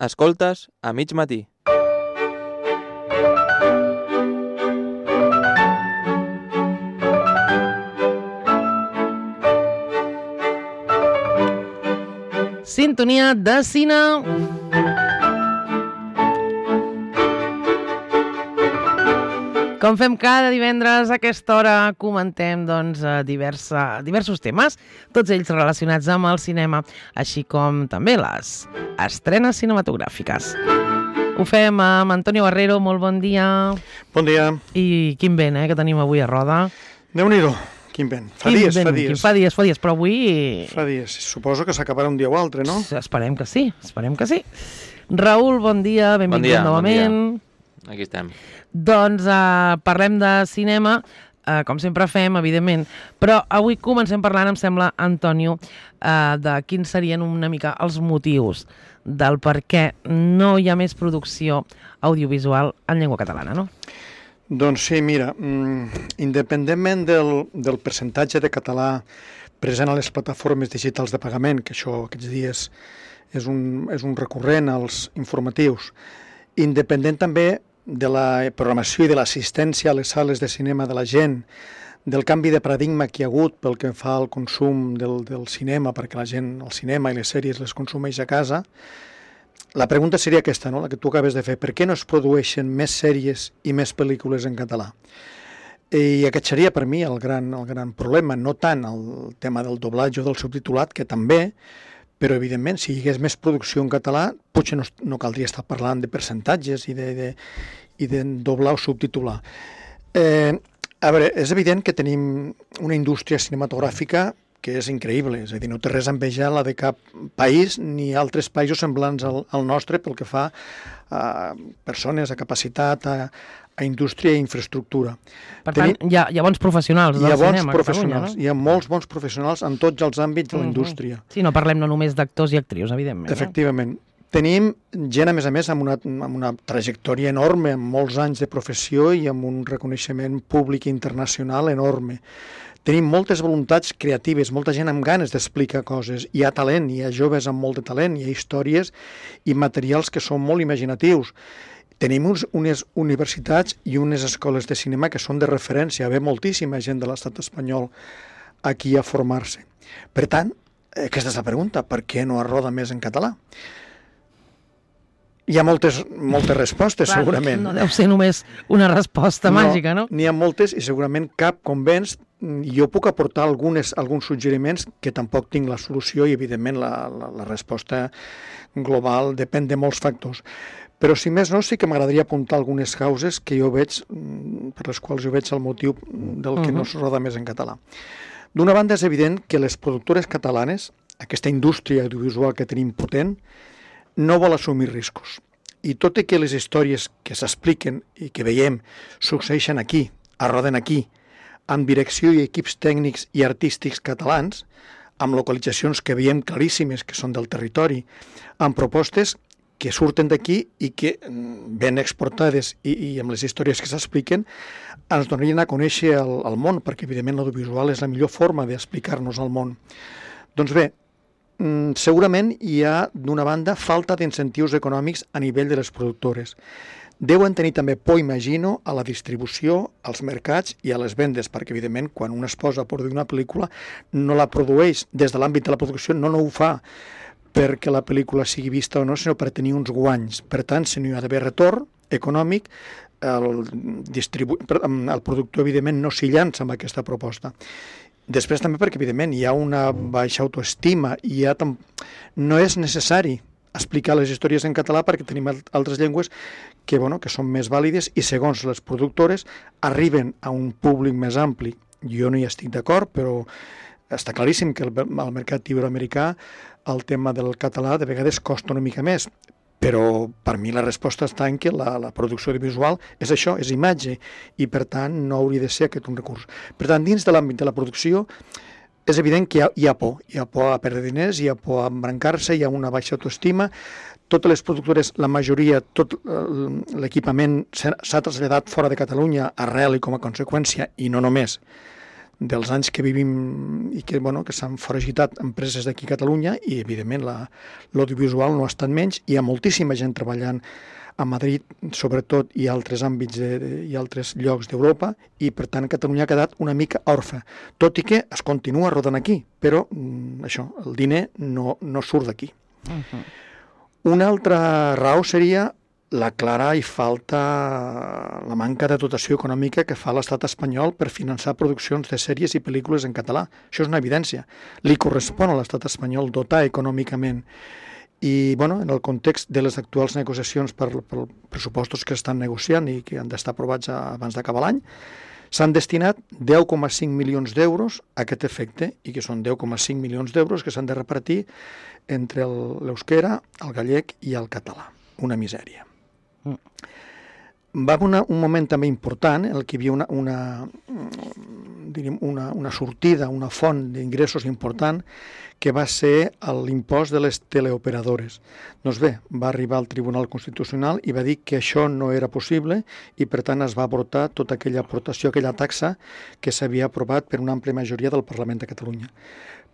Escoltes a mig matí. Sintonia de cine. Com fem cada divendres a aquesta hora, comentem diversos temes, tots ells relacionats amb el cinema, així com també les estrenes cinematogràfiques. Ho fem amb Antonio Barrero, molt bon dia. Bon dia. I quin vent, que tenim avui a Roda. Déu-n'hi-do, quin vent. Fa dies. Fa dies, però avui... Fa dies. Suposo que s'acabarà un dia o altre, no? Esperem que sí. Raül, bon dia, benvingut novament. Bon dia. Aquí estem. Doncs parlem de cinema, com sempre fem, evidentment, però avui comencem parlant, em sembla, Antonio, de quins serien una mica els motius del per què no hi ha més producció audiovisual en llengua catalana, no? Doncs sí, mira, independentment del percentatge de català present a les plataformes digitals de pagament, que això aquests dies és un recurrent als informatius, independent també de la programació i de l'assistència a les sales de cinema de la gent, del canvi de paradigma que hi ha hagut pel que fa al consum del cinema, perquè la gent el cinema i les sèries les consumeix a casa, la pregunta seria aquesta, no? La que tu acabes de fer. Per què no es produeixen més sèries i més pel·lícules en català? I aquest seria per mi el gran problema, no tant el tema del doblatge o del subtitulat, que també, però evidentment si hi hagués més producció en català potser no caldria estar parlant de percentatges i de doblar o subtitular. A veure, és evident que tenim una indústria cinematogràfica que és increïble, és a dir, no té res a envejar la de cap país ni altres països semblants al nostre pel que fa a persones, a capacitat, a indústria i infraestructura. Per tant, hi ha bons professionals del cinema a Catalunya, no? Hi ha molts bons professionals en tots els àmbits de la indústria. Sí, no parlem no només d'actors i actrius, evidentment. Efectivament. Tenim gent, a més, amb una trajectòria enorme, amb molts anys de professió i amb un reconeixement públic i internacional enorme. Tenim moltes voluntats creatives, molta gent amb ganes d'explicar coses. Hi ha talent, hi ha joves amb molt de talent, hi ha històries i materials que són molt imaginatius. Tenim unes universitats i unes escoles de cinema que són de referència. Ve moltíssima gent de l'estat espanyol aquí a formar-se. Per tant, aquesta és la pregunta, per què no es roda més en català? Hi ha moltes respostes, segurament. No deu ser només una resposta màgica, no? N'hi ha moltes i segurament cap convenç. Jo puc aportar alguns suggeriments que tampoc tinc la solució i, evidentment, la resposta global depèn de molts factors. Però, si més no, sí que m'agradaria apuntar algunes causes que jo veig, per les quals jo veig el motiu del que no es roda més en català. D'una banda, és evident que les productores catalanes, aquesta indústria audiovisual que tenim potent, no vol assumir riscos. I tot i que les històries que s'expliquen i que veiem succeeixen aquí, arroden aquí, amb direcció i equips tècnics i artístics catalans, amb localitzacions que veiem claríssimes que són del territori, amb propostes que surten d'aquí i que, ben exportades i amb les històries que s'expliquen, ens donarien a conèixer el món, perquè evidentment l'audiovisual és la millor forma d'explicar-nos al món. Doncs bé, segurament hi ha, d'una banda, falta d'incentius econòmics a nivell de les productores. Deuen tenir també por, imagino, a la distribució, als mercats i a les vendes, perquè, evidentment, quan un es posa a produir una pel·lícula, no la produeix des de l'àmbit de la producció, no ho fa perquè la pel·lícula sigui vista o no, sinó per tenir uns guanys. Per tant, si no hi ha d'haver retorn econòmic, el productor, evidentment, no s'hi llança amb aquesta proposta. Després també perquè, evidentment, hi ha una baixa autoestima i no és necessari explicar les històries en català perquè tenim altres llengües que són més vàlides i, segons les productores, arriben a un públic més ampli. Jo no hi estic d'acord, però està claríssim que al mercat iberoamericà el tema del català de vegades costa una mica més. Però per mi la resposta està en que la producció audiovisual és això, és imatge, i per tant no hauria de ser aquest un recurs. Per tant, dins de l'àmbit de la producció és evident que hi ha por a perdre diners, hi ha por a embrancar-se, hi ha una baixa autoestima. Totes les productores, la majoria, tot l'equipament s'ha traslladat fora de Catalunya arrel i com a conseqüència, i no només dels anys que vivim i que, que s'han foragitat empreses d'aquí a Catalunya i, evidentment, l'audiovisual no ha estat menys. Hi ha moltíssima gent treballant a Madrid, sobretot, i altres àmbits i altres llocs d'Europa, i, per tant, Catalunya ha quedat una mica orfe, tot i que es continua rodant aquí, però això, el diner no surt d'aquí. Una altra raó seria la clara i la manca de dotació econòmica que fa l'estat espanyol per finançar produccions de sèries i pel·lícules en català. Això és una evidència. Li correspon a l'estat espanyol dotar econòmicament. I, en el context de les actuals negociacions per pressupostos que estan negociant i que han d'estar aprovats abans d'acabar l'any, s'han destinat 10,5 milions d'euros a aquest efecte, i que són 10,5 milions d'euros que s'han de repartir entre l'euskera, el gallec i el català. Una misèria. Va haver un moment també important en què hi havia una sortida, una font d'ingressos important, que va ser l'impost de les teleoperadores. Doncs bé, va arribar al Tribunal Constitucional i va dir que això no era possible i, per tant, es va abortar tota aquella aportació, aquella taxa que s'havia aprovat per una àmplia majoria del Parlament de Catalunya.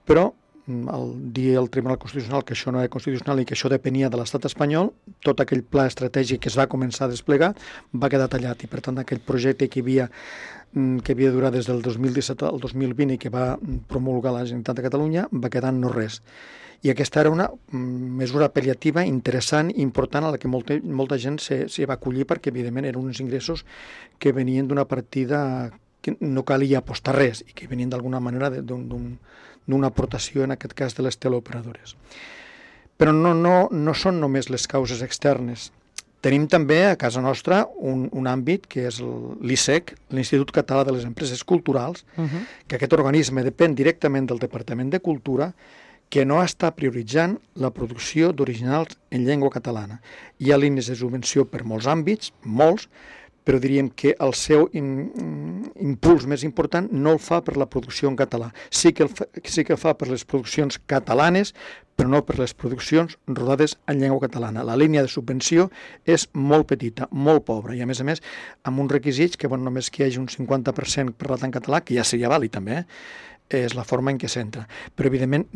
Però al dir el Tribunal Constitucional que això no era constitucional i que això depenia de l'estat espanyol, tot aquell pla estratègic que es va començar a desplegar va quedar tallat i, per tant, aquell projecte que havia durat des del 2017 al 2020 i que va promulgar la Generalitat de Catalunya va quedar en no res. I aquesta era una mesura pal·liativa interessant i important a la que molta gent s'hi va acollir perquè, evidentment, eren uns ingressos que venien d'una partida que no calia apostar res i que venien d'alguna manera d'una aportació, en aquest cas, de les teleoperadores. Però no són només les causes externes. Tenim també a casa nostra un àmbit que és l'ISEC, l'Institut Català de les Empreses Culturals, que aquest organisme depèn directament del Departament de Cultura, que no està prioritzant la producció d'originals en llengua catalana. Hi ha línies de subvenció per molts àmbits, molts, però diríem que el seu impuls més important no el fa per la producció en català. Sí que fa per les produccions catalanes, però no per les produccions rodades en llengua catalana. La línia de subvenció és molt petita, molt pobra, i a més, amb uns requisits que només que hi hagi un 50% parlat en català, que ja seria vàlid també, és la forma en què s'entra. Però, evidentment,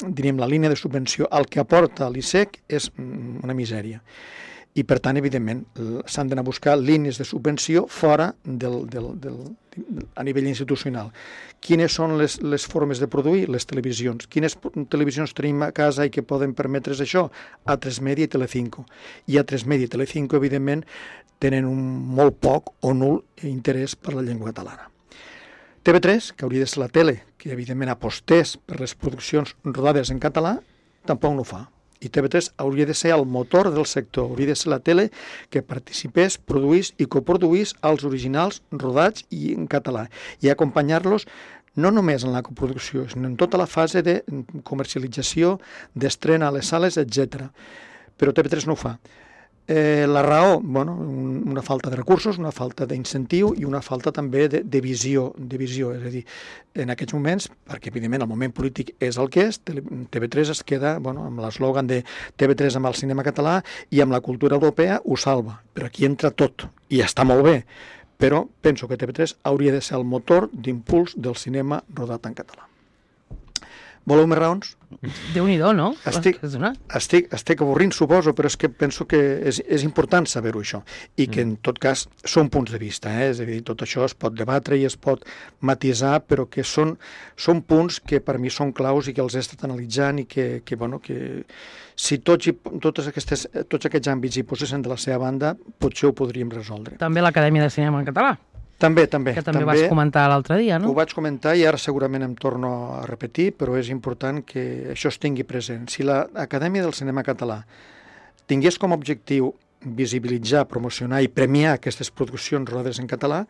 diríem, la línia de subvenció, el que aporta l'ISEC és una misèria. I, per tant, evidentment, s'han d'anar a buscar línies de subvenció fora a nivell institucional. Quines són les formes de produir? Les televisions. Quines televisions tenim a casa i que poden permetre's això? A3 Media i Telecinco. I A3 Media i Telecinco, evidentment, tenen un molt poc o nul interès per la llengua catalana. TV3, que hauria de ser la tele, que evidentment apostés per les produccions rodades en català, tampoc no ho fa. I TV3 hauria de ser el motor del sector, hauria de ser la tele que participés, produís i coproduís els originals rodats i en català i acompanyar-los no només en la coproducció, sinó en tota la fase de comercialització, d'estrena a les sales, etc. Però TV3 no ho fa. La raó, una falta de recursos, una falta d'incentiu i una falta també de visió. És a dir, en aquests moments, perquè evidentment el moment polític és el que és, TV3 es queda amb l'eslògan de TV3 amb el cinema català i amb la cultura europea ho salva. Però aquí entra tot i està molt bé. Però penso que TV3 hauria de ser el motor d'impuls del cinema rodat en català. Voleu més raons? Déu-n'hi-do, no? Estic avorrint, suposo, però és que penso que és important saber-ho, això, i que, en tot cas, són punts de vista. És a dir, tot això es pot debatre i es pot matisar, però que són punts que per mi són claus i que els he estat analitzant i que si tots aquests àmbits hi posessin de la seva banda, potser ho podríem resoldre. També l'Acadèmia de Cinema en Català. També. Que també vas comentar l'altre dia, no? Ho vaig comentar i ara segurament em torno a repetir, però és important que això es tingui present. Si l'Acadèmia del Cinema Català tingués com a objectiu visibilitzar, promocionar i premiar aquestes produccions rodades en català,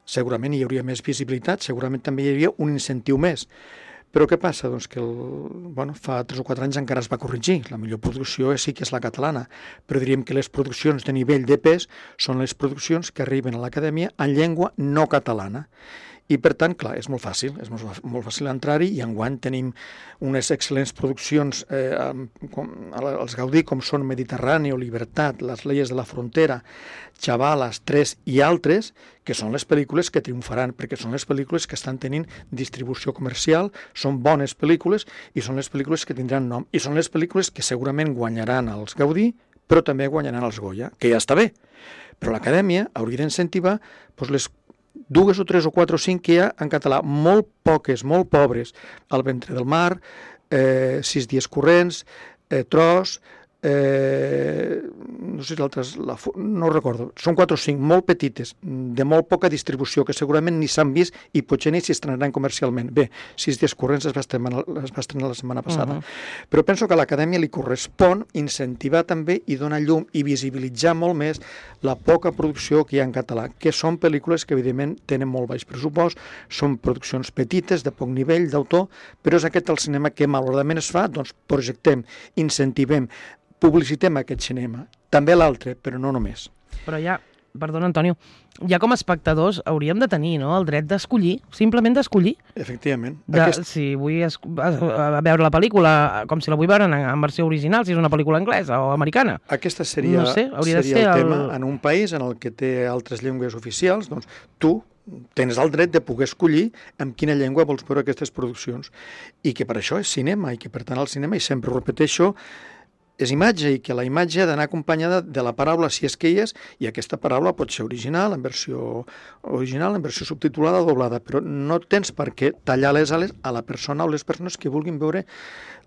segurament hi hauria més visibilitat, segurament també hi hauria un incentiu més. Però què passa? Doncs que fa 3 o 4 anys encara es va corregir. La millor producció sí que és la catalana, però diríem que les produccions de nivell de pes són les produccions que arriben a l'acadèmia en llengua no catalana. I, per tant, clar, és molt fàcil entrar-hi, i enguany tenim unes excel·lents produccions als Gaudí, com són Mediterrani o Libertat, Les leyes de la frontera, Chavalas, 3 i altres, que són les pel·lícules que triomfaran, perquè són les pel·lícules que estan tenint distribució comercial, són bones pel·lícules i són les pel·lícules que tindran nom, i són les pel·lícules que segurament guanyaran els Gaudí, però també guanyaran els Goya, que ja està bé. Però l'Acadèmia hauria d'incentivar les 2 o 3 o 4 o 5 que hi ha en català, molt poques, molt pobres, El ventre del mar, 6 dies corrents, Tros, no sé si l'altre, no ho recordo, són 4 o 5 molt petites, de molt poca distribució, que segurament ni s'han vist i potser ni s'hi estrenaran comercialment. Bé, 6 dies corrents es va estrenar la setmana passada. Però penso que a l'Acadèmia li correspon incentivar també i donar llum i visibilitzar molt més la poca producció que hi ha en català, que són pel·lícules que evidentment tenen molt baix pressupost, són produccions petites, de poc nivell d'autor, però és aquest el cinema que malauradament es fa, doncs projectem, incentivem, publicitem aquest cinema, també l'altre, però no només. Però ja, perdona Antonio, ja com a espectadors hauríem de tenir, no?, el dret d'escollir, simplement d'escollir. Efectivament. Si vull veure la pel·lícula com si la vull veure en versió original, si és una pel·lícula anglesa o americana. Aquesta seria, no sé, seria el tema. En un país en el que té altres llengües oficials, doncs tu tens el dret de poder escollir amb quina llengua vols veure aquestes produccions, i que per això és cinema, i que per tant el cinema, i sempre ho repeteixo, és imatge, i que la imatge ha d'anar acompanyada de la paraula, si és que hi és, i aquesta paraula pot ser original, en versió subtitulada o doblada, però no tens per què tallar les ales a la persona o les persones que vulguin veure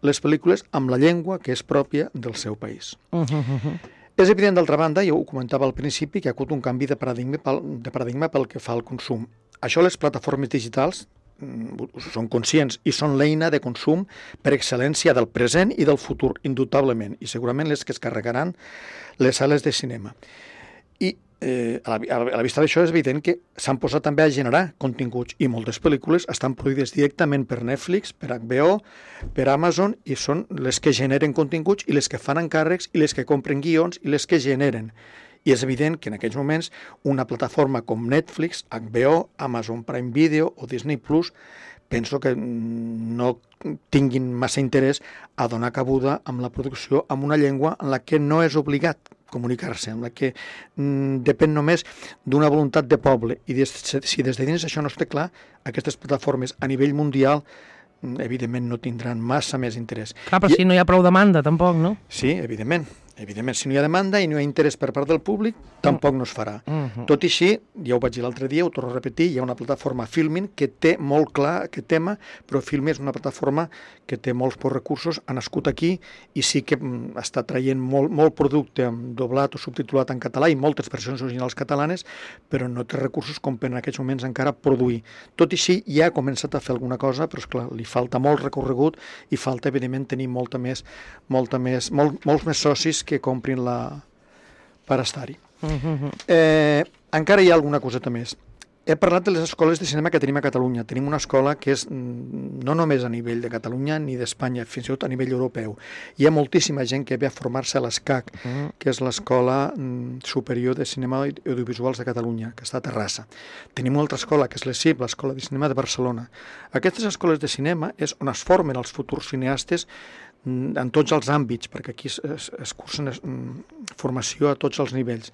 les pel·lícules amb la llengua que és pròpia del seu país. És evident, d'altra banda, jo ho comentava al principi, que hi ha hagut un canvi de paradigma pel que fa al consum. Això les plataformes digitals són conscients i són l'eina de consum per excel·lència del present i del futur, indubtablement, i segurament les que es carregaran les sales de cinema. I a la vista d'això és evident que s'han posat també a generar continguts, i moltes pel·lícules estan produïdes directament per Netflix, per HBO, per Amazon, i són les que generen continguts i les que fan encàrrecs i les que compren guions i les que generen. I és evident que en aquells moments una plataforma com Netflix, HBO, Amazon Prime Video o Disney Plus penso que no tinguin massa interès a donar cabuda amb la producció amb una llengua en la que no és obligat comunicar-se, amb la que depèn només d'una voluntat de poble. I si des de dins això no està clar, aquestes plataformes a nivell mundial evidentment no tindran massa més interès. Clar, però si no hi ha prou demanda, tampoc, no? Sí, evidentment. Evidentment, si no hi ha demanda i no hi ha interès per part del públic, tampoc no es farà. Tot i així, ja ho vaig dir l'altre dia, ho torno a repetir, hi ha una plataforma Filmin que té molt clar aquest tema, però Filmin és una plataforma que té molts pocs recursos, ha nascut aquí i sí que està traient molt producte doblat o subtitulat en català i moltes versions originals catalanes, però no té recursos com per en aquests moments encara produir. Tot i així, ja ha començat a fer alguna cosa, però esclar, li falta molt recorregut i falta, evidentment, tenir molts més socis que comprin per estar-hi. Encara hi ha alguna coseta més. He parlat de les escoles de cinema que tenim a Catalunya. Tenim una escola que és no només a nivell de Catalunya ni d'Espanya, fins i tot a nivell europeu. Hi ha moltíssima gent que ve a formar-se a l'ESCAC, que és l'Escola Superior de Cinema i Audiovisuals de Catalunya, que està a Terrassa. Tenim una altra escola, que és l'ESIP, l'Escola de Cinema de Barcelona. Aquestes escoles de cinema és on es formen els futurs cineastes en tots els àmbits, perquè aquí es cursen formació a tots els nivells.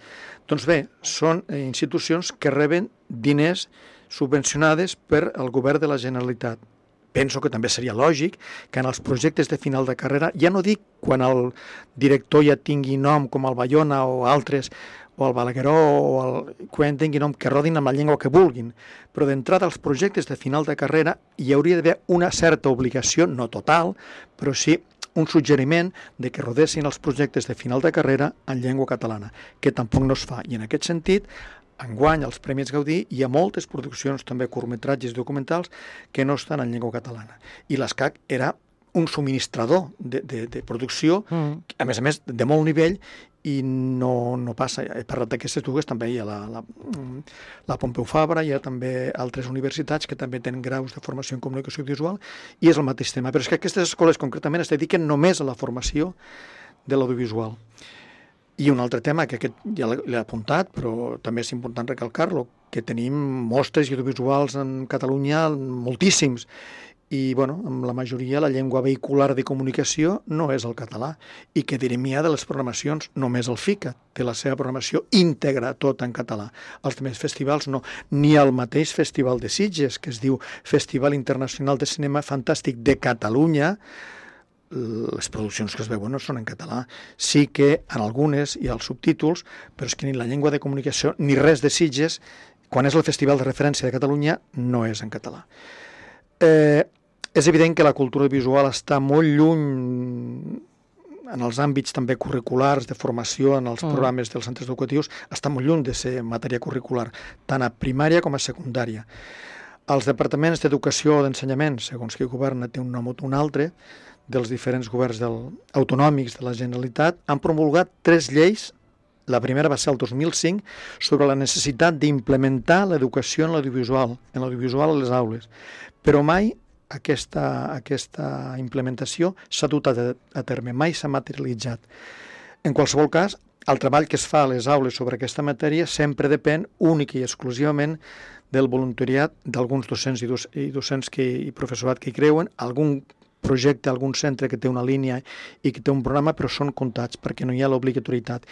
Doncs bé, són institucions que reben diners subvencionades per el govern de la Generalitat. Penso que també seria lògic que en els projectes de final de carrera, ja no dic quan el director ja tingui nom com el Bayona o altres, o el Balagueró, quan tingui nom, que rodin amb la llengua que vulguin, però d'entrada als projectes de final de carrera hi hauria d'haver una certa obligació, no total, però sí un suggeriment de que rodessin els projectes de final de carrera en llengua catalana, que tampoc no es fa. I en aquest sentit, enguany als Premis Gaudí hi ha moltes produccions, també curtmetratges documentals, que no estan en llengua catalana. I l'ESCAC era un subministrador de producció, a més, de molt nivell, i no passa. He parlat d'aquestes dues, també hi ha la Pompeu Fabra, hi ha també altres universitats que també tenen graus de formació en comunicació visual, i és el mateix tema. Però és que aquestes escoles concretament es dediquen només a la formació de l'audiovisual. I un altre tema, que aquest ja l'he apuntat, però també és important recalcar-lo, que tenim mostres audiovisuals en Catalunya moltíssims, i amb la majoria la llengua vehicular de comunicació no és el català, i que direm ja de les programacions, només el FICA té la seva programació íntegra tota en català. Els altres festivals no, ni el mateix Festival de Sitges, que es diu Festival Internacional de Cinema Fantàstic de Catalunya, les produccions que es veuen no són en català. Sí que en algunes hi ha els subtítols, però és que ni la llengua de comunicació ni res de Sitges, quan és el festival de referència de Catalunya, no és en català. És evident que la cultura visual està molt lluny en els àmbits també curriculars, de formació, en els programes dels centres educatius, està molt lluny de ser matèria curricular, tant a primària com a secundària. Els departaments d'educació o d'ensenyament, segons qui governa té un nom o un altre, dels diferents governs autonòmics de la Generalitat, han promulgat 3 lleis. La primera va ser el 2005, sobre la necessitat d'implementar l'educació en l'audiovisual a les aules. Però mai aquesta implementació s'ha dut a terme, mai s'ha materialitzat. En qualsevol cas, el treball que es fa a les aules sobre aquesta matèria sempre depèn únic i exclusivament del voluntariat d'alguns docents i docents i professorat que hi creuen, algun projecte, algun centre que té una línia i que té un programa, però són comptats perquè no hi ha l'obligatorietat.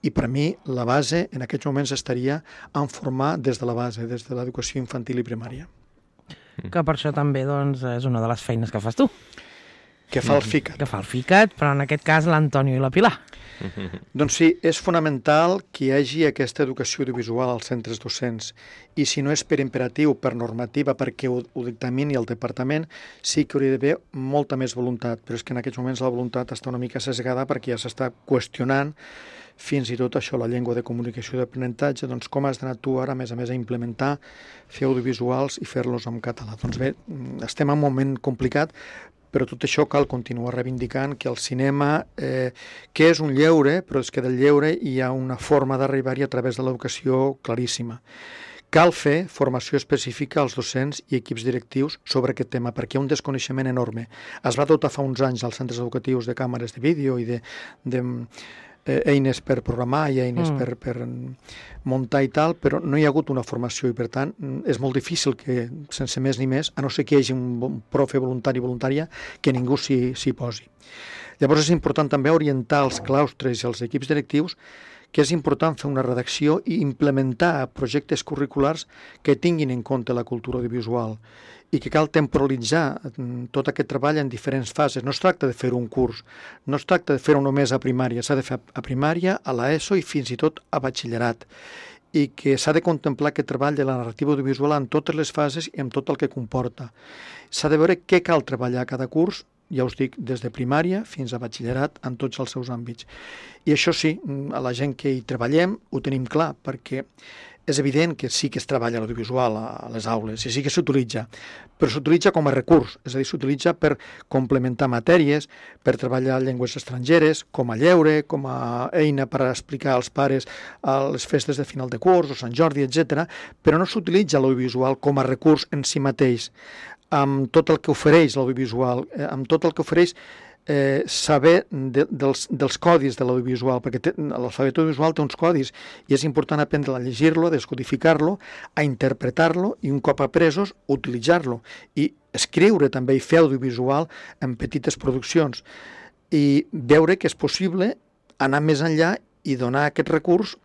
I per a mi la base en aquests moments estaria en formar des de la base, des de l'educació infantil i primària. Que per això també és una de les feines que fas tu. Que fa el FICAT. Que fa el FICAT, però en aquest cas l'Antonio i la Pilar. Doncs sí, és fonamental que hi hagi aquesta educació audiovisual als centres docents, i si no és per imperatiu, per normativa, perquè ho dictamini el departament, sí que hauria d'haver molta més voluntat, però és que en aquests moments la voluntat està una mica sesgada perquè ja s'està qüestionant fins i tot això, la llengua de comunicació i d'aprenentatge, doncs com has d'anar tu ara, a més, a implementar, fer audiovisuals i fer-los en català. Doncs bé, estem en un moment complicat, però tot això cal continuar reivindicant que el cinema, que és un lleure, però és que del lleure hi ha una forma d'arribar-hi a través de l'educació claríssima. Cal fer formació específica als docents i equips directius sobre aquest tema, perquè hi ha un desconeixement enorme. Es va dotar fa uns anys als centres educatius de càmeres de vídeo i de eines per programar i eines per muntar i tal, però no hi ha hagut una formació i, per tant, és molt difícil que, sense més ni més, a no ser que hi hagi un profe voluntari o voluntària, que ningú s'hi posi. Llavors és important també orientar els claustres i els equips directius que és important fer una redacció i implementar projectes curriculars que tinguin en compte la cultura audiovisual i que cal temporalitzar tot aquest treball en diferents fases. No es tracta de fer un curs, no es tracta de fer-ho només a primària, s'ha de fer a primària, a l'ESO i fins i tot a batxillerat, i que s'ha de contemplar aquest treball de la narrativa audiovisual en totes les fases i amb tot el que comporta. S'ha de veure què cal treballar a cada curs, ja us dic, des de primària fins a batxillerat en tots els seus àmbits. I això sí, a la gent que hi treballem ho tenim clar, perquè és evident que sí que es treballa l'audiovisual a les aules i sí que s'utilitza, però s'utilitza com a recurs, és a dir, s'utilitza per complementar matèries, per treballar llengües estrangeres, com a lleure, com a eina per explicar als pares a les festes de final de curs o Sant Jordi, etc., però no s'utilitza l'audiovisual com a recurs en si mateix, amb tot el que ofereix l'audiovisual, amb tot el que ofereix saber dels codis de l'audiovisual, perquè l'alfabet audiovisual té uns codis i és important aprendre a llegir-lo, a descodificar-lo, a interpretar-lo i un cop apresos, utilitzar-lo i escriure també i fer audiovisual en petites produccions i veure que és possible anar més enllà i donar aquest recurs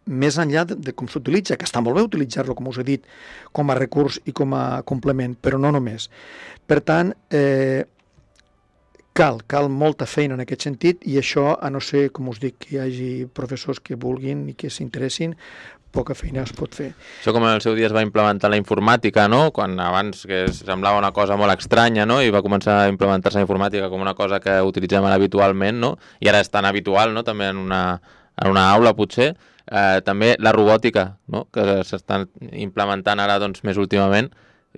més enllà de com s'utilitza, que està molt bé utilitzar-lo, com us he dit, com a recurs i com a complement, però no només. Per tant, cal molta feina en aquest sentit i això, a no ser, com us dic, que hi hagi professors que vulguin i que s'interessin, poca feina es pot fer. Això com en el seu dia es va implementar la informàtica, no? Quan abans que semblava una cosa molt estranya, no? I va començar a implementar-se la informàtica com una cosa que utilitzem habitualment, no? I ara és tan habitual, no? També en una aula, potser. També la robòtica, no? Que s'estan implementant ara doncs, més últimament,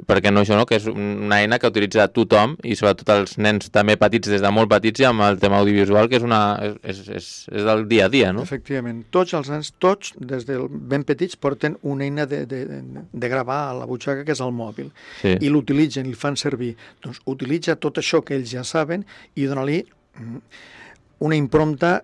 perquè no això, no? Que és una eina que utilitza tothom i sobretot els nens també petits, des de molt petits, i amb el tema audiovisual, que és del dia a dia, no? Efectivament, tots els nens, tots, des de ben petits, porten una eina de gravar a la butxaca, que és el mòbil, sí. I l'utilitzen, i el fan servir. Doncs utilitza tot això que ells ja saben i dona-li una impronta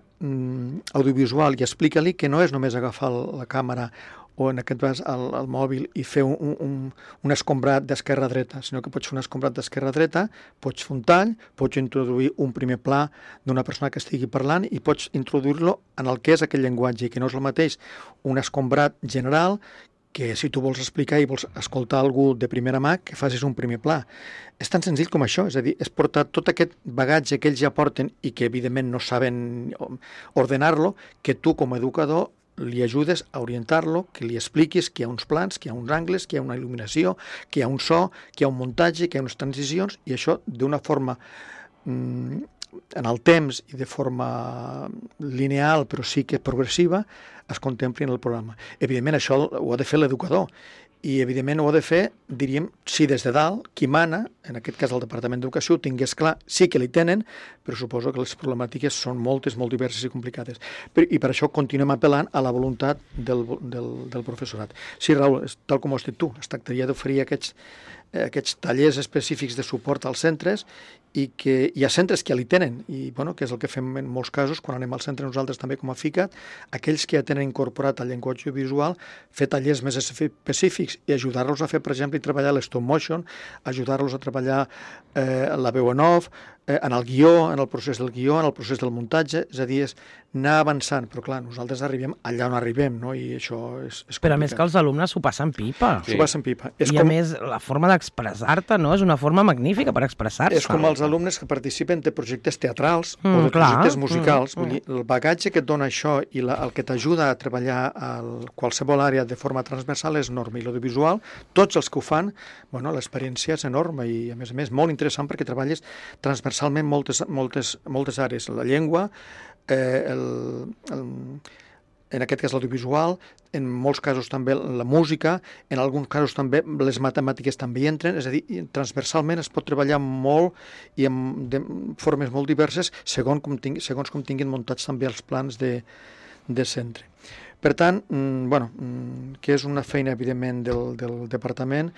audiovisual i explica-li que no és només agafar la càmera o en aquest cas al mòbil, i fer un escombrat d'esquerra a dreta, sinó que pots fer un escombrat d'esquerra a dreta, pots fer un tall, pots introduir un primer pla d'una persona que estigui parlant i pots introduir-lo en el que és aquell llenguatge, que no és el mateix un escombrat general que si tu vols explicar i vols escoltar algú de primera mà, que facis un primer pla. És tan senzill com això, és a dir, és portar tot aquest bagatge que ells ja porten i que evidentment no saben ordenar-lo, que tu com a educador li ajudes a orientar-lo, que li expliquis que hi ha uns plans, que hi ha uns angles, que hi ha una il·luminació, que hi ha un so, que hi ha un muntatge, que hi ha unes transicions, i això d'una forma en el temps i de forma lineal, però sí que progressiva, es contempli en el programa. Evidentment, això ho ha de fer l'educador, i evidentment ho ha de fer, diríem, si des de dalt, qui mana, en aquest cas el Departament d'Educació, ho tingués clar, sí que li tenen, però suposo que les problemàtiques són moltes, molt diverses i complicades. I per això continuem apel·lant a la voluntat del professorat. Sí, Raül, tal com ho has dit tu, es tractaria d'oferir aquests tallers específics de suport als centres, i que hi ha centres que ja li tenen, i bueno, que és el que fem en molts casos, quan anem al centre nosaltres també com a FICAT, aquells que ja tenen incorporat el llenguatge visual, fer tallers més específics i ajudar-los a fer, per exemple, i treballar l'stop motion, ajudar-los a treballar la veu en off, en el guió, en el procés del guió, en el procés del muntatge, és a dir, és anar avançant, però clar, nosaltres arribem allà on arribem, no? I això és complicat. Però a més que els alumnes s'ho passen pipa. S'ho passen pipa. I a més, la forma d'expressar-te, no? És una forma magnífica per expressar-se. És com els alumnes que participen de projectes teatrals o de projectes musicals. Vull dir, el bagatge que et dona això i el que t'ajuda a treballar a qualsevol àrea de forma transversal és enorme. I l'audiovisual, tots els que ho fan, bueno, l'experiència és enorme i, a més, molt interessant perquè treballes transversalment moltes àrees. La llengua, en aquest cas l'audiovisual, en molts casos també la música, en alguns casos també les matemàtiques també hi entren, és a dir, transversalment es pot treballar molt i de formes molt diverses segons com tinguin muntats també els plans de centre. Per tant, que és una feina, evidentment, del departament,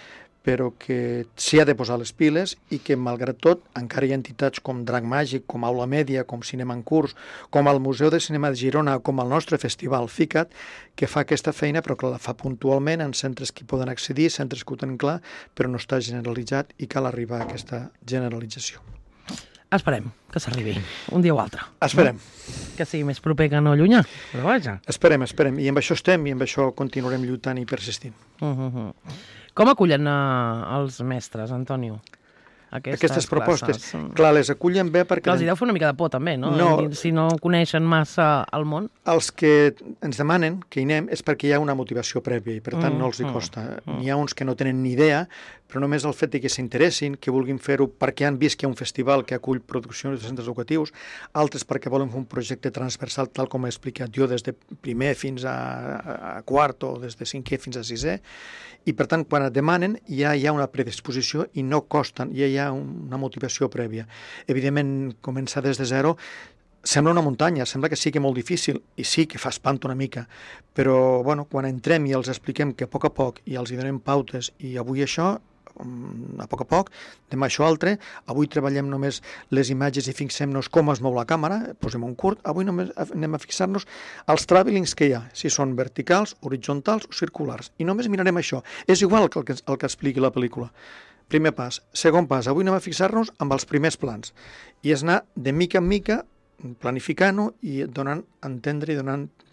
però que s'hi ha de posar les piles i que, malgrat tot, encara hi ha entitats com Drac Màgic, com Aula Mèdia, com Cinema en Curs, com el Museu de Cinema de Girona, com el nostre festival FICAT, que fa aquesta feina, però que la fa puntualment en centres que hi poden accedir, centres que ho tenen clar, però no està generalitzat i cal arribar a aquesta generalització. Esperem que s'arribi, un dia o altre. Esperem. Que sigui més proper que no llunyà, però vaja. Esperem, i amb això estem, i amb això continuarem lluitant i persistint. Com acullen els mestres, Antonio, aquestes propostes? Clar, les acullen bé perquè... Clar, els deu fer una mica de por, també, no? Si no coneixen massa el món. Els que ens demanen que hi anem és perquè hi ha una motivació prèvia i, per tant, no els hi costa. N'hi ha uns que no tenen ni idea, però només el fet que s'interessin, que vulguin fer-ho perquè han vist que hi ha un festival que acull produccions de centres educatius, altres perquè volen fer un projecte transversal, tal com he explicat jo, des de primer fins a quart o des de cinquè fins a sisè, i per tant, quan et demanen, ja hi ha una predisposició i no costen, ja hi ha una motivació prèvia. Evidentment, començar des de zero sembla una muntanya, sembla que sigui molt difícil, i sí que fa espant una mica, però bueno, quan entrem i els expliquem que a poc i els hi donem pautes, i avui això, a poc, demà això altre, avui treballem només les imatges i fixem-nos com es mou la càmera, posem un curt, avui només anem a fixar-nos als travelings que hi ha, si són verticals, horitzontals o circulars, i només mirarem això. És igual que el que expliqui la pel·lícula. Primer pas. Segon pas, avui anem a fixar-nos amb els primers plans, i és anar de mica en mica planificant-ho i donant a entendre i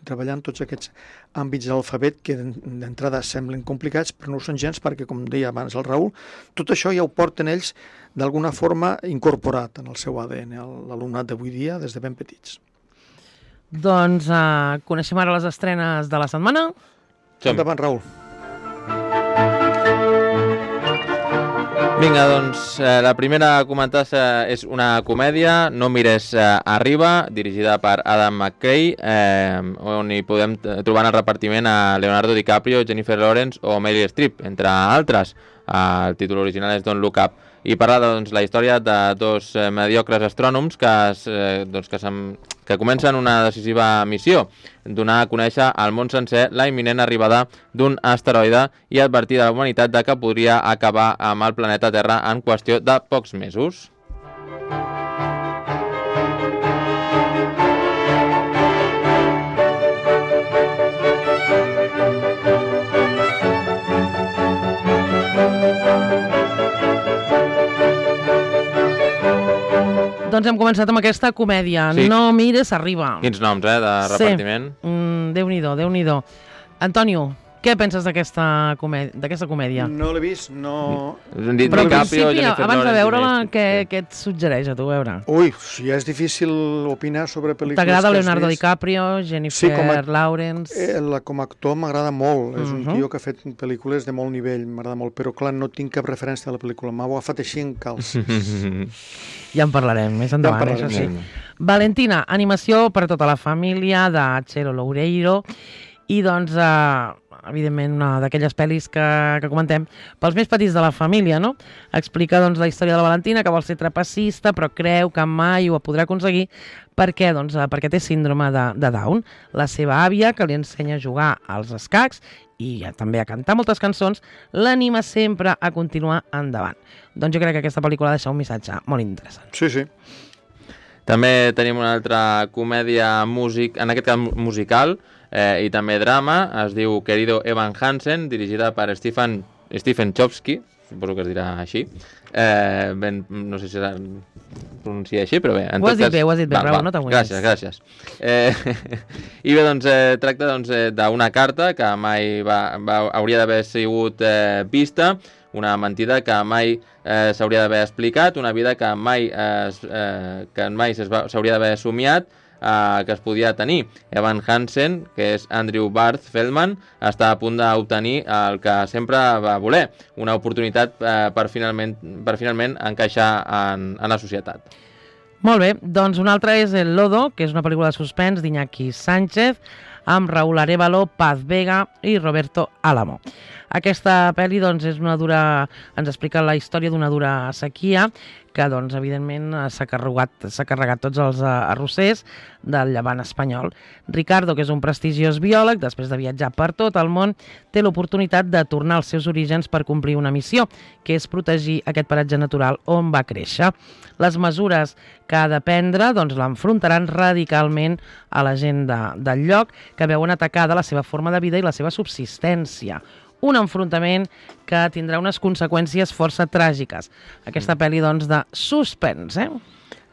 treballant tots aquests àmbits de l'alfabet que d'entrada semblen complicats, però no ho són gens perquè, com deia abans el Raül, tot això ja ho porten ells d'alguna forma incorporat en el seu ADN, l'alumnat d'avui dia, des de ben petits. Doncs coneixem ara les estrenes de la setmana. Endavant, Raül. Vinga, doncs, la primera a comentar és una comèdia, No mires arriba, dirigida per Adam McKay, on hi podem trobar en el repartiment a Leonardo DiCaprio, Jennifer Lawrence o Meryl Streep, entre altres. El títol original és Don't Look Up, i parla la història de dos mediocres astrònoms que comencen una decisiva missió, donar a conèixer al món sencer la imminent arribada d'un asteroide i advertir de la humanitat de que podria acabar amb el planeta Terra en qüestió de pocs mesos. Doncs hem començat amb aquesta comèdia. Sí. No mires, arriba. Quins noms, de repartiment? Sí. Déu-n'hi-do, Déu-n'hi-do. Antonio, què penses d'aquesta comèdia? No l'he vist, no... Però en DiCaprio, principi, Jennifer abans de Lawrence, veure-la, Jennifer- què et suggereix a tu veure? Ui, ja és difícil opinar sobre pel·lícules T'agrada que has Leonardo vist. DiCaprio, Jennifer Lawrence... Com a actor m'agrada molt, és un tio que ha fet pel·lícules de molt nivell, m'agrada molt, però clar, no tinc cap referència a la pel·lícula, m'ha agafat així en calç. Ja en parlarem més endavant, Ja en això sí. parlarem, Valentina, animació per a tota la família de Chelo Loureiro i doncs, evidentment, una d'aquelles pel·lis que comentem pels més petits de la família, no? Explica doncs la història de la Valentina, que vol ser trapecista, però creu que mai ho podrà aconseguir perquè, doncs, perquè té síndrome de Down. La seva àvia, que li ensenya a jugar als escacs i també a cantar moltes cançons, l'anima sempre a continuar endavant. Doncs jo crec que aquesta pel·lícula deixa un missatge molt interessant. Sí, sí. També tenim una altra comèdia, en aquest cas musical, i també drama, es diu Querido Evan Hansen, dirigida per Stephen Chbosky, suposo que es dirà així. No sé si es pronuncia així, però bé. Ho has dit bé, bravo, no t'aguantis. Gràcies. I bé, doncs, tracta d'una carta que mai hauria d'haver sigut vista, una mentida que mai s'hauria d'haver explicat, una vida que mai s'hauria d'haver somiat, que es podia tenir. Evan Hansen, que és Andrew Barth Feldman, està a punt d'obtenir el que sempre va voler, una oportunitat per finalment encaixar en la societat. Molt bé, doncs una altra és El Lodo, que és una pel·lícula de suspens d'Iñaki Sánchez, amb Raúl Arévalo, Paz Vega i Roberto Álamo. Aquesta pel·li doncs, ens explica la història d'una dura sequia que, doncs, evidentment, s'ha carregat tots els arrossers del llevant espanyol. Ricardo, que és un prestigiós biòleg, després de viatjar per tot el món, té l'oportunitat de tornar als seus orígens per complir una missió, que és protegir aquest paratge natural on va créixer. Les mesures que ha de prendre doncs, l'enfrontaran radicalment a la gent del lloc, que veuen atacada la seva forma de vida i la seva subsistència. Un enfrontament que tindrà unes conseqüències força tràgiques. Aquesta pel·li, doncs, de suspens,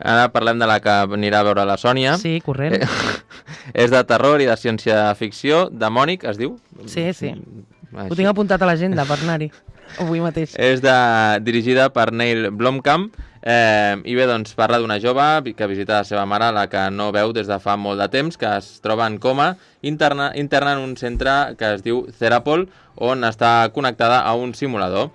Ara parlem de la que anirà a veure la Sònia. Sí, corrent. És de terror i de ciència-ficció. Demònic, es diu? Sí. Ho tinc apuntat a l'agenda per anar-hi avui mateix. És dirigida per Neil Blomkamp. I bé, doncs, parla d'una jove que visita la seva mare, la que no veu des de fa molt de temps, que es troba en coma, interna en un centre que es diu Therapol, on està connectada a un simulador.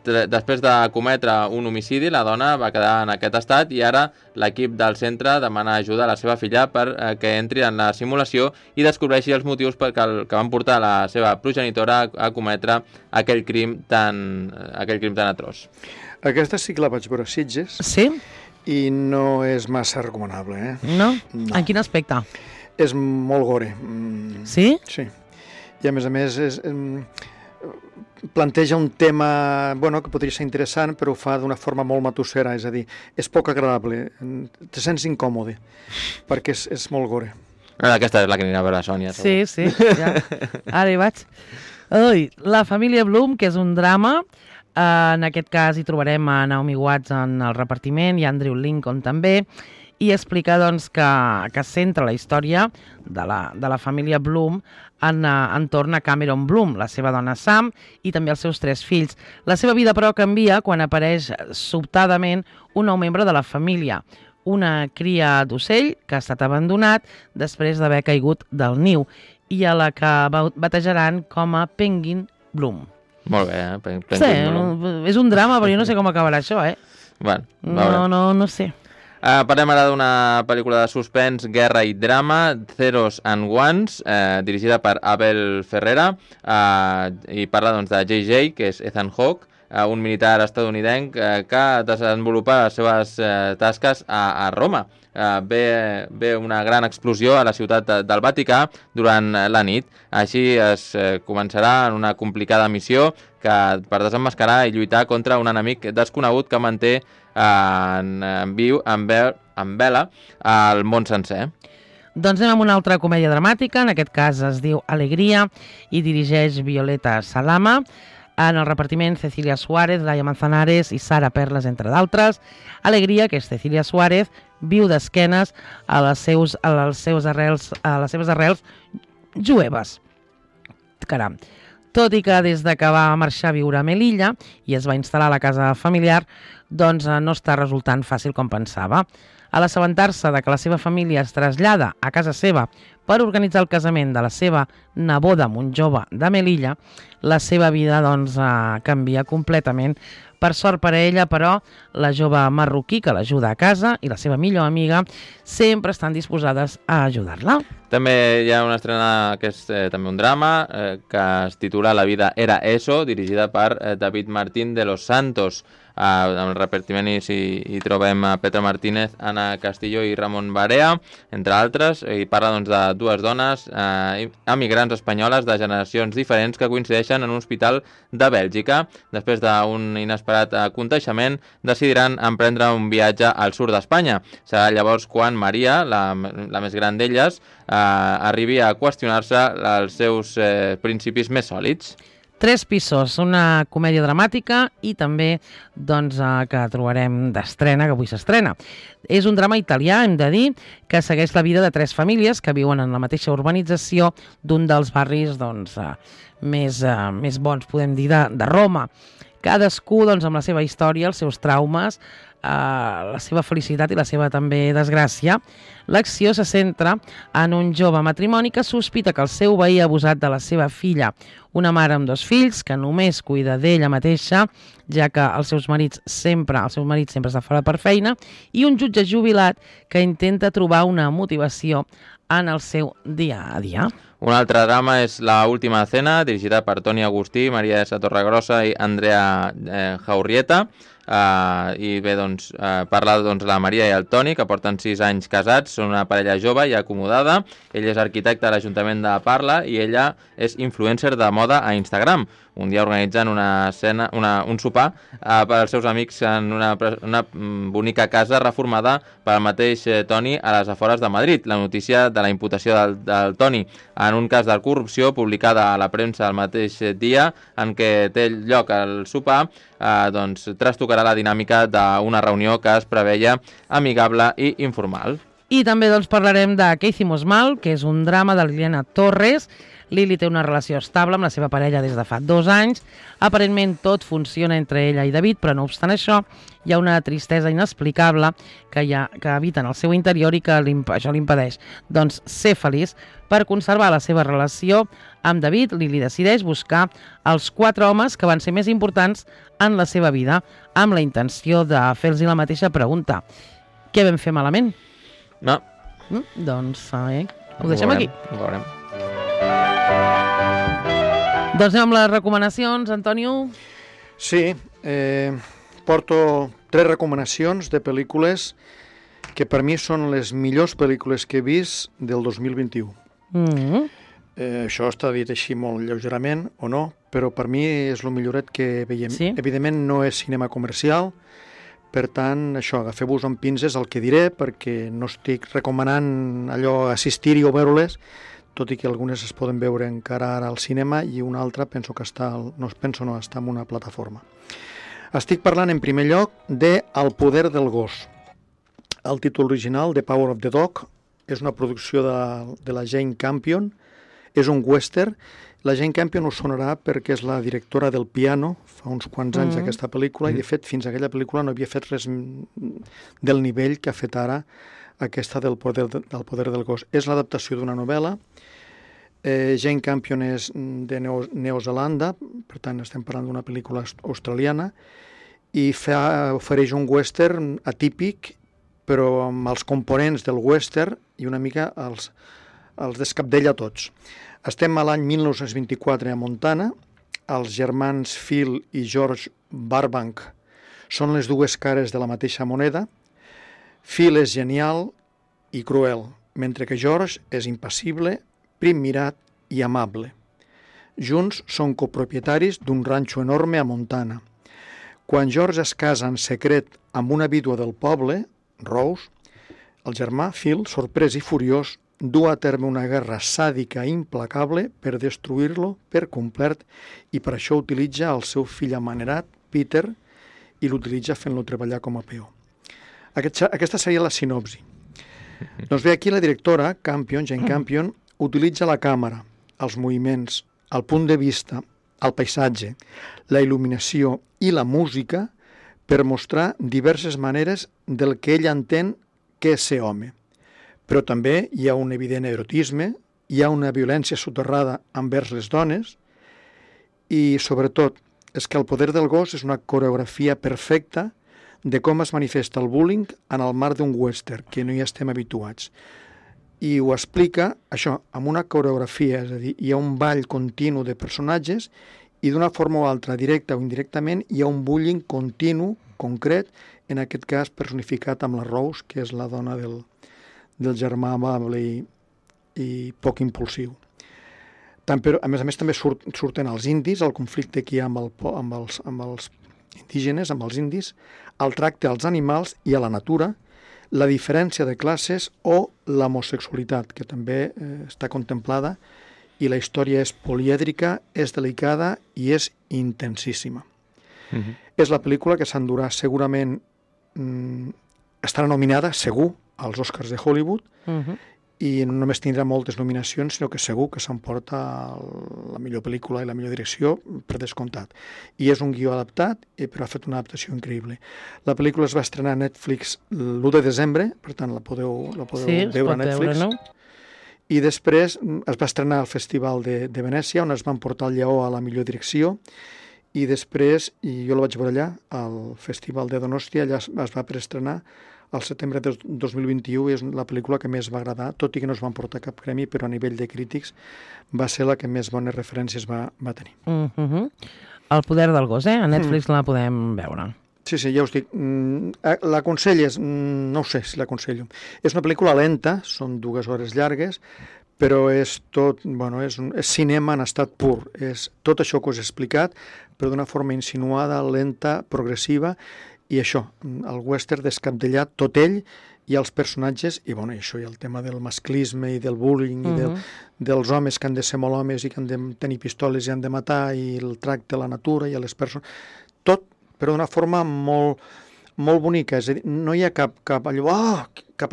Després de cometre un homicidi, la dona va quedar en aquest estat i ara l'equip del centre demana ajuda a la seva filla perquè entri en la simulació i descobreixi els motius que van portar la seva progenitora a cometre aquell crim tan atroç. Aquesta sí que la vaig veure a Sitges. Sí? I no és massa recomanable, No? En quin aspecte? És molt gore. Sí? Sí. I a més planteja un tema que podria ser interessant, però ho fa d'una forma molt matussera, és a dir, és poc agradable, te sents incòmode, perquè és molt gore. Aquesta és la que anirà a veure la Sònia. Sí, ja. Ara hi vaig. La família Bloom, que és un drama. En aquest cas hi trobarem a Naomi Watts en el repartiment i Andrew Lincoln també, i explica doncs, que centra la història de la família Bloom entorn a Cameron Bloom, la seva dona Sam i també els seus 3 fills. La seva vida, però, canvia quan apareix sobtadament un nou membre de la família, una cria d'ocell que ha estat abandonat després d'haver caigut del niu i a la que batejaran com a Penguin Bloom. Molt bé, Sí, és un drama, però jo no sé com acabarà això, Bueno, no sé. Parlem ara d'una pel·lícula de suspens, guerra i drama, Zeros and Ones, dirigida per Abel Ferrera, i parla doncs, de JJ, que és Ethan Hawke, un militar estatunidenc que desenvolupa les seves tasques a Roma. Ve una gran explosió a la ciutat del Vaticà durant la nit. Així es començarà en una complicada missió per desemmascarar i lluitar contra un enemic desconegut que manté en vela el món sencer. Doncs anem amb una altra comèdia dramàtica, en aquest cas es diu Alegria i dirigeix Violeta Salama. En el repartiment, Cecilia Suárez, Laia Manzanares i Sara Perles, entre d'altres. Alegria, que és Cecilia Suárez, viu d'esquenes a les seves arrels jueves. Caram. Tot i que des de que va marxar a viure a Melilla i es va instal·lar a la casa familiar, doncs no està resultant fàcil com pensava. A l'assabentar-se de que la seva família es trasllada a casa seva per organitzar el casament de la seva neboda amb un jove de Melilla, la seva vida doncs, canvia completament. Per sort per a ella, però, la jove marroquí que l'ajuda a casa i la seva millor amiga sempre estan disposades a ajudar-la. També hi ha una estrena que és també un drama, que es titula La vida era eso, dirigida per David Martín de los Santos. En el repartiment hi trobem a Petra Martínez, Ana Castillo i Ramon Barea, entre altres, i parla doncs, de dues dones emigrants espanyoles de generacions diferents que coincideixen en un hospital de Bèlgica. Després d'un inesperat aconteixement, decidiran emprendre un viatge al sud d'Espanya. Serà llavors quan Maria, la més gran d'elles, arribi a qüestionar-se els seus principis més sòlids. Tres pisos, una comèdia dramàtica i també doncs, que trobarem d'estrena, que avui s'estrena. És un drama italià, hem de dir, que segueix la vida de tres famílies que viuen en la mateixa urbanització d'un dels barris doncs, més bons, podem dir, de Roma. Cadascú doncs, amb la seva història, els seus traumes, la seva felicitat i la seva també desgràcia. L'acció se centra en un jove matrimoni que sospita que el seu veí ha abusat de la seva filla, una mare amb dos fills que només cuida d'ella mateixa, ja que el seu marit sempre està fora per feina, i un jutge jubilat que intenta trobar una motivació en el seu dia a dia. Un altre drama és La última cena, dirigida per Toni Agustí, Maria Esa Torregrossa i Andrea Jaurrieta. I bé, doncs, parla la Maria i el Toni, que porten 6 anys casats, són una parella jove i acomodada. Ell és arquitecte a l'Ajuntament de Parla i ella és influencer de moda a Instagram. Un dia organitzen un sopar per als seus amics en una bonica casa reformada pel mateix Toni a les afores de Madrid. La notícia de la imputació del Toni en un cas de corrupció publicada a la premsa el mateix dia en què té lloc el sopar, doncs trastocarà la dinàmica d'una reunió que es preveia amigable i informal. I també doncs, parlarem de Què hicimos mal, que és un drama de Liliana Torres. Lili té una relació estable amb la seva parella des de fa 2 anys. Aparentment tot funciona entre ella i David, però no obstant això, hi ha una tristesa inexplicable que habita en el seu interior i que això l'impedeix doncs, ser feliç. Per conservar la seva relació amb David, Lili decideix buscar els 4 homes que van ser més importants en la seva vida, amb la intenció de fer-los la mateixa pregunta. Què vam fer malament? No. Doncs ho deixem aquí. Ho veurem. Doncs anem amb les recomanacions, Antonio. Sí, porto 3 recomanacions de pel·lícules que per mi són les millors pel·lícules que he vist del 2021. Això està dit així molt lleugerament o no, però per mi és el milloret que veiem. Sí? Evidentment no és cinema comercial, per tant, això, agafeu-vos amb pinces el que diré, perquè no estic recomanant allò assistir-hi o veure-les, tot i que algunes es poden veure encara ara al cinema i una altra penso que està en una plataforma. Estic parlant en primer lloc de El poder del gos. El títol original, The Power of the Dog, és una producció de la Jane Campion, és un western. La Jane Campion us sonarà perquè és la directora del Piano, fa uns quants anys aquesta pel·lícula, i de fet fins a aquella pel·lícula no havia fet res del nivell que ha fet ara aquesta del poder del gos. És l'adaptació d'una novel·la. Jane Campion és de Neozelanda, per tant estem parlant d'una pel·lícula australiana, i ofereix un western atípic, però amb els components del western i una mica els descapdella tots. Estem a l'any 1924 a Montana. Els germans Phil i George Burbank són les dues cares de la mateixa moneda. Phil és genial i cruel, mentre que George és impassible, prim mirat i amable. Junts són copropietaris d'un ranxo enorme a Montana. Quan George es casa en secret amb una vídua del poble, Rose, el germà Phil, sorprès i furiós, du a terme una guerra sàdica i implacable per destruir-lo per complet i per això utilitza el seu fill amanerat, Peter, i l'utilitza fent-lo treballar com a peó. Aquesta seria la sinopsi. Doncs bé, aquí la directora, Jane Campion, utilitza la càmera, els moviments, el punt de vista, el paisatge, la il·luminació i la música per mostrar diverses maneres del que ell entén que és ser home. Però també hi ha un evident erotisme, hi ha una violència soterrada envers les dones i, sobretot, és que el poder del gos és una coreografia perfecta de com es manifesta el bullying en el marc d'un western, que no hi estem habituats. I ho explica, això, amb una coreografia, és a dir, hi ha un ball continu de personatges i d'una forma o altra, directa o indirectament, hi ha un bullying continu, concret, en aquest cas personificat amb la Rose, que és la dona del germà amable i poc impulsiu. Però, a més també surten els indis, el conflicte que hi ha amb els indígenes, amb els indis, el tracte als animals i a la natura, la diferència de classes o l'homosexualitat, que també està contemplada, i la història és polièdrica, és delicada i és intensíssima. És la pel·lícula que s'endurà segurament, estarà nominada, segur, als Oscars de Hollywood, i no només tindrà moltes nominacions, sinó que segur que s'emporta la millor pel·lícula i la millor direcció per descomptat. I és un guió adaptat, però ha fet una adaptació increïble. La pel·lícula es va estrenar a Netflix l'1 de desembre, per tant la podeu veure a Netflix. No? I després es va estrenar al Festival de Venècia, on es van portar el lleó a la millor direcció, i després, i jo la vaig veure allà, al Festival de Donòstia, allà es va preestrenar al setembre de 2021, és la pel·lícula que més va agradar, tot i que no es van portar cap premi, però a nivell de crítics va ser la que més bones referències va tenir. El poder del gos, a Netflix la podem veure. Sí, ja us dic. L'aconselles? No ho sé si l'aconsello. És una pel·lícula lenta, són 2 hores llargues, però és tot, és cinema en estat pur. És tot això que us he explicat, però d'una forma insinuada, lenta, progressiva, i això, el western descabdellat, tot ell i els personatges, i això, i el tema del masclisme i del bullying, i dels homes que han de ser molt homes i que han de tenir pistoles i han de matar, i el tracte a la natura i a les persones, tot, però d'una forma molt, molt bonica, és a dir, no hi ha cap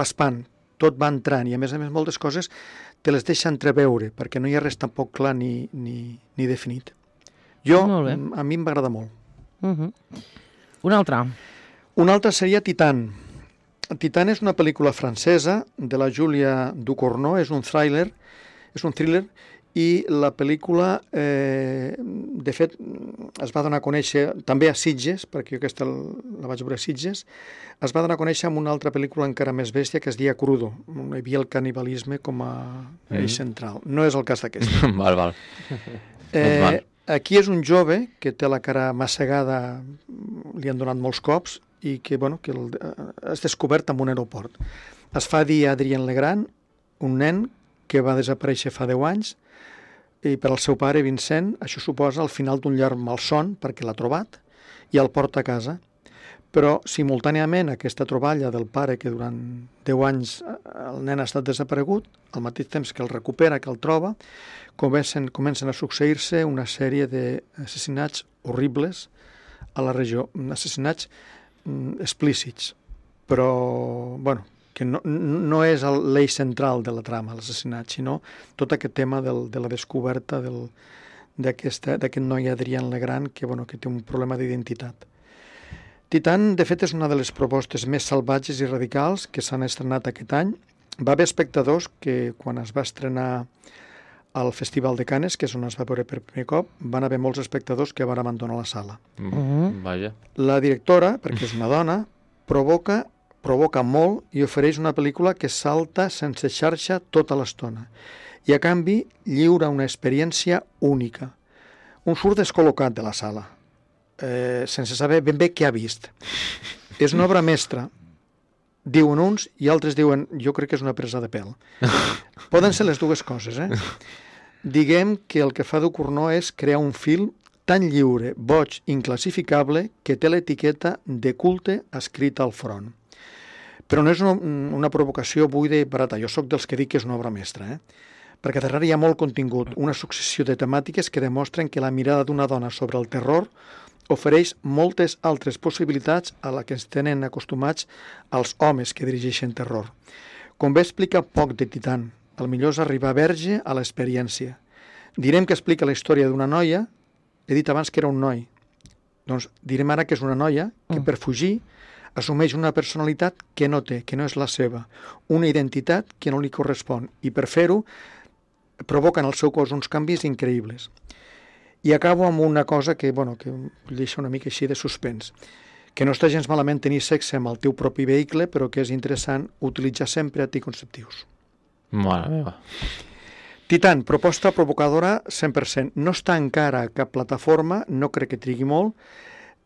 espant, tot va entrant, i a més moltes coses te les deixa entreveure, perquè no hi ha res tampoc clar ni definit. A mi em va agradar molt. Una altra seria Titan. Titan és una pel·lícula francesa de la Julia Ducournau, és un thriller, i la pel·lícula, de fet, es va donar a conèixer també a Sitges, perquè jo aquesta la vaig veure a Sitges, es va donar a conèixer amb una altra pel·lícula encara més bèstia, que es deia Crudo, on hi havia el canibalisme com a eix central. No és el cas d'aquesta. Val. Aquí és un jove que té la cara massegada, li han donat molts cops, i que és descobert en un aeroport. Es fa dir Adrien Legrand, un nen que va desaparèixer fa 10 anys, i per al seu pare, Vincent, això suposa el final d'un llarg malson, perquè l'ha trobat, i el porta a casa. Però, simultàniament, aquesta troballa del pare, que durant 10 anys el nen ha estat desaparegut, al mateix temps que el recupera, que el troba, comencen a succeir-se una sèrie d'assassinats horribles a la regió, assassinats explícits, però, que no és l'eix central de la trama, l'assassinat, sinó tot aquest tema de la descoberta d'aquest noi Adrien Legrand, que té un problema d'identitat. Titan, de fet, és una de les propostes més salvatges i radicals que s'han estrenat aquest any. Va haver espectadors que, quan es va estrenar al Festival de Cannes, que és on es va veure per primer cop, van haver molts espectadors que van abandonar la sala. Vaja. La directora, perquè és una dona, provoca molt i ofereix una pel·lícula que salta sense xarxa tota l'estona. I, a canvi, lliura una experiència única. Un surt descol·locat de la sala, sense saber ben bé què ha vist. És una obra mestra, diuen uns, i altres diuen, jo crec que és una presa de pèl. Poden ser les dues coses, Diguem que el que fa Ducournau és crear un film tan lliure, boig, inclassificable, que té l'etiqueta de culte escrita al front. Però no és una provocació buida i barata. Jo sóc dels que dic que és una obra mestra, perquè darrere hi ha molt contingut, una successió de temàtiques que demostren que la mirada d'una dona sobre el terror ofereix moltes altres possibilitats a la que ens tenen acostumats els homes que dirigeixen terror. Com bé explica poc de Titan, el millor és arribar verge a l'experiència. Direm que explica la història d'una noia, he dit abans que era un noi, doncs direm ara que és una noia que per fugir assumeix una personalitat que no té, que no és la seva, una identitat que no li correspon, i per fer-ho provoca en el seu cos uns canvis increïbles. I acabo amb una cosa que deixa una mica així de suspens, que no està gens malament tenir sexe amb el teu propi vehicle, però que és interessant utilitzar sempre anticonceptius. Mare meva. Titan, proposta provocadora 100%. No està encara a cap plataforma, no crec que trigui molt.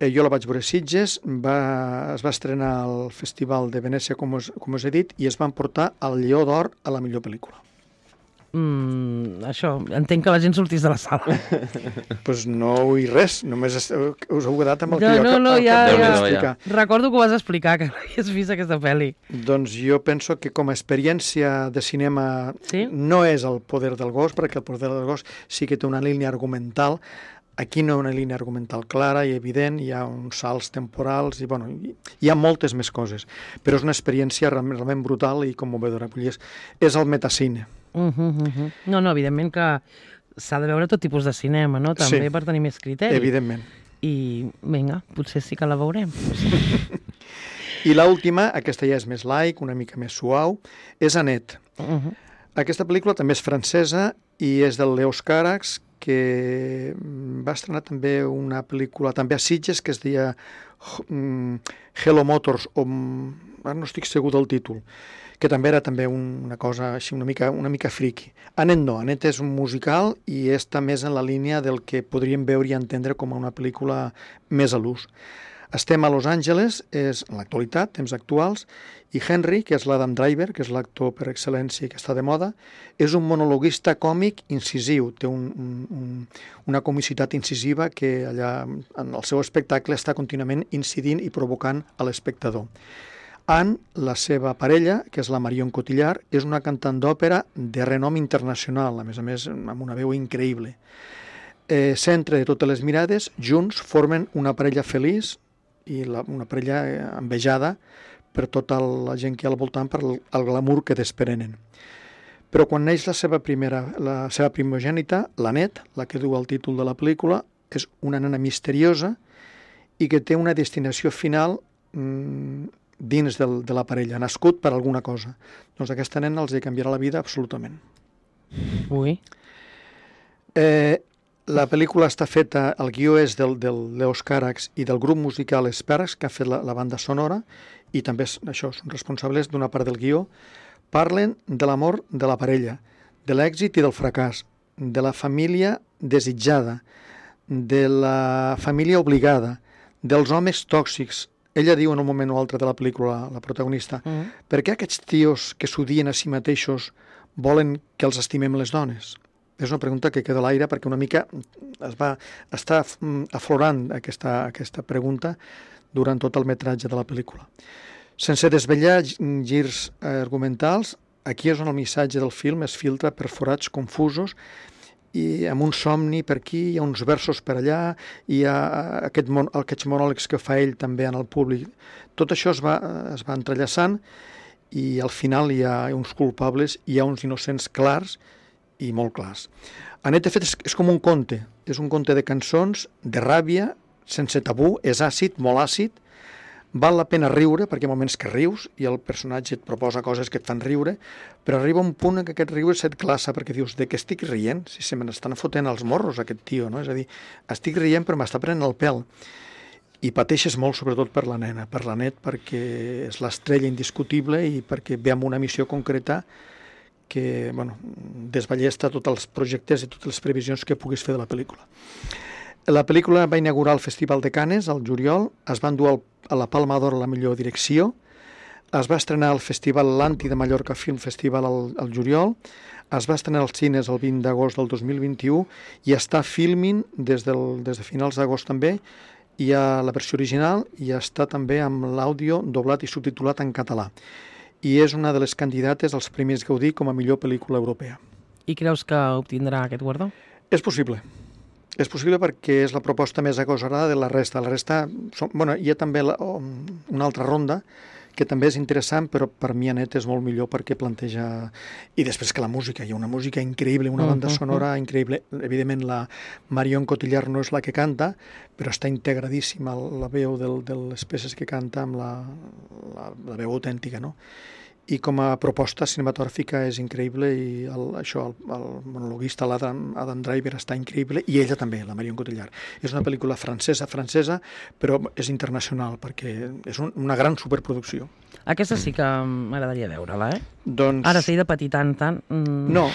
Jo la vaig veure a Sitges, es va estrenar al Festival de Venècia, com us he dit, i es van portar el Lleó d'Or a la millor pel·lícula. Això, entenc que la gent sortís de la sala. Doncs no vull res, només us heu quedat amb el que No, explicar. Recordo que ho vas explicar, que no havies vist aquesta pel·li. Doncs jo penso que com a experiència de cinema no és el poder del gos, perquè el poder del gos sí que té una línia argumental. Aquí no hi ha una línia argumental clara i evident, hi ha uns salts temporals, i hi ha moltes més coses, però és una experiència realment brutal i commovedora. És el metacine. No, evidentment que s'ha de veure tot tipus de cinema, no? També per tenir més criteri. Evidentment. I vinga, potser sí que la veurem. I l'última, aquesta ja és més laic, una mica més suau, és Annette. Aquesta pel·lícula també és francesa i és del Leos Carax, que va estrenar també una pel·lícula, també a Sitges, que es deia Hello Motors, ara no estic segur del títol, que també era una cosa així una mica friki. Annette no, Annette és un musical i està més en la línia del que podríem veure i entendre com una pel·lícula més a l'ús. Estem a Los Angeles, és en l'actualitat, temps actuals, i Henry, que és l'Adam Driver, que és l'actor per excel·lència que està de moda, és un monologuista còmic incisiu, té una comicitat incisiva que allà en el seu espectacle està contínuament incidint i provocant a l'espectador. Anne, la seva parella, que és la Marion Cotillard, és una cantant d'òpera de renom internacional, a més, amb una veu increïble. Centre de totes les mirades, junts formen una parella feliç i una parella envejada per tota la gent que hi ha al voltant per el glamour que desprenen. Però quan neix la seva primogènita, l'Annette, la que du el títol de la pel·lícula, és una nena misteriosa i que té una destinació final dins de la parella, nascut per alguna cosa. Doncs aquesta nena els canviarà la vida absolutament. Ui. La pel·lícula està feta, el guió és del Leos Carax i del grup musical Sparks, que ha fet la banda sonora, i també són responsables d'una part del guió. Parlen de l'amor de la parella, de l'èxit i del fracàs, de la família desitjada, de la família obligada, dels homes tòxics. Ella diu en un moment o altre de la pel·lícula, la protagonista, per què aquests tios que s'odien a si mateixos volen que els estimem les dones? És una pregunta que queda a l'aire perquè una mica està aflorant aquesta pregunta durant tot el metratge de la pel·lícula. Sense desvetllar girs argumentals, aquí és on el missatge del film es filtra per forats confusos i amb un somni per aquí, hi ha uns versos per allà, hi ha aquests monòlegs que fa ell també en el públic. Tot això es va entrellaçant i al final hi ha uns culpables, hi ha uns innocents clars i molt clars. Annette, de fet, és com un conte. És un conte de cançons, de ràbia, sense tabú, és àcid, molt àcid. Val la pena riure, perquè hi ha moments que rius i el personatge et proposa coses que et fan riure, però arriba un punt en què aquest riure se't glaça, perquè dius, de què estic rient? Si se me n'estan fotent els morros, aquest tio, no? És a dir, estic rient però m'està prenent el pèl. I pateixes molt, sobretot per la nena, per l'Annette, perquè és l'estrella indiscutible i perquè ve amb una missió concreta que desballesta tots els projectes i totes les previsions que puguis fer de la pel·lícula. La pel·lícula va inaugurar el Festival de Cannes al juliol, es va endur a la Palma d'Or a la millor direcció, es va estrenar al Festival Lanti de Mallorca Film Festival al juliol, es va estrenar als cines el 20 d'agost del 2021 i està filming des de finals d'agost també Hi ha la versió original i està també amb l'àudio doblat i subtitulat en català. I és una de les candidates als Premis Gaudí com a millor pel·lícula europea. I creus que obtindrà aquest guardó? És possible. És possible perquè és la proposta més agosarada de la resta. La resta, hi ha també una altra ronda que també és interessant, però per mi Anet és molt millor perquè planteja... I després que la música, hi ha una música increïble, una banda sonora increïble. Evidentment, la Marion Cotillard no és la que canta, però està integradíssima la veu de les peces que canta amb la veu autèntica, no? I com a proposta cinematogràfica és increïble i el monologuista, l'Adam Driver, està increïble, i ella també, la Marion Cotillard. És una pel·lícula francesa, però és internacional, perquè és una gran superproducció. Aquesta sí que m'agradaria veure-la, eh? Doncs... Ara sí, de patir tant. No.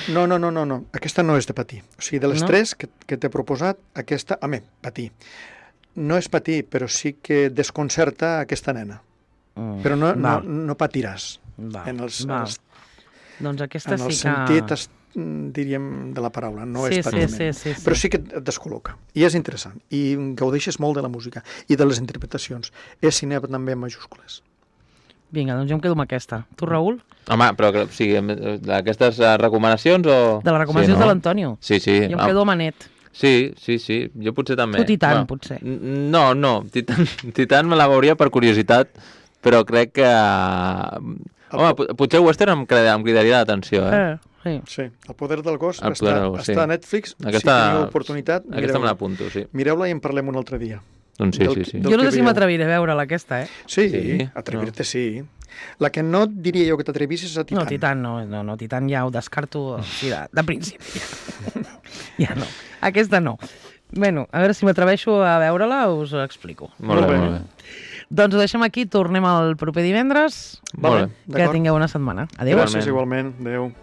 Aquesta no és de patir. O sigui, de les tres que t'he proposat, aquesta... patir. No és patir, però sí que desconcerta aquesta nena. Però no patiràs. Doncs aquesta sí que... En el sentit, diríem, de la paraula, no és patiment. Sí. Però sí que et descol·loca. I és interessant. I gaudeixes molt de la música i de les interpretacions. És cinema també en majúscules. Vinga, doncs jo em quedo amb aquesta. Tu, Raül? Home, però o sigui, d'aquestes recomanacions o... De les recomanacions de l'Antonio. Sí. Jo em quedo amb Anet. Sí. Jo potser també. Tu Titan, potser. No. Titan me la veuria per curiositat, però crec que... Home, potser western em cridaria l'atenció, Sí, El poder del gos està a Netflix. Aquesta, si teniu oportunitat, aquesta me l'apunto, sí. Mireu-la i en parlem un altre dia. Doncs sí. Jo no sé si m'atreviré a veure-la, aquesta, Sí, atrevir-te sí. La que no diria jo que t'atrevissis és a Titan. No, Titan no, Titan ja ho descarto de principi. Ja no, aquesta no. Bueno, a veure si m'atreveixo a veure-la, us ho explico. Molt bé. Doncs ho deixem aquí, tornem el proper divendres. Molt bé. Que tingueu una setmana. Adéu. Gràcies, igualment. Adéu.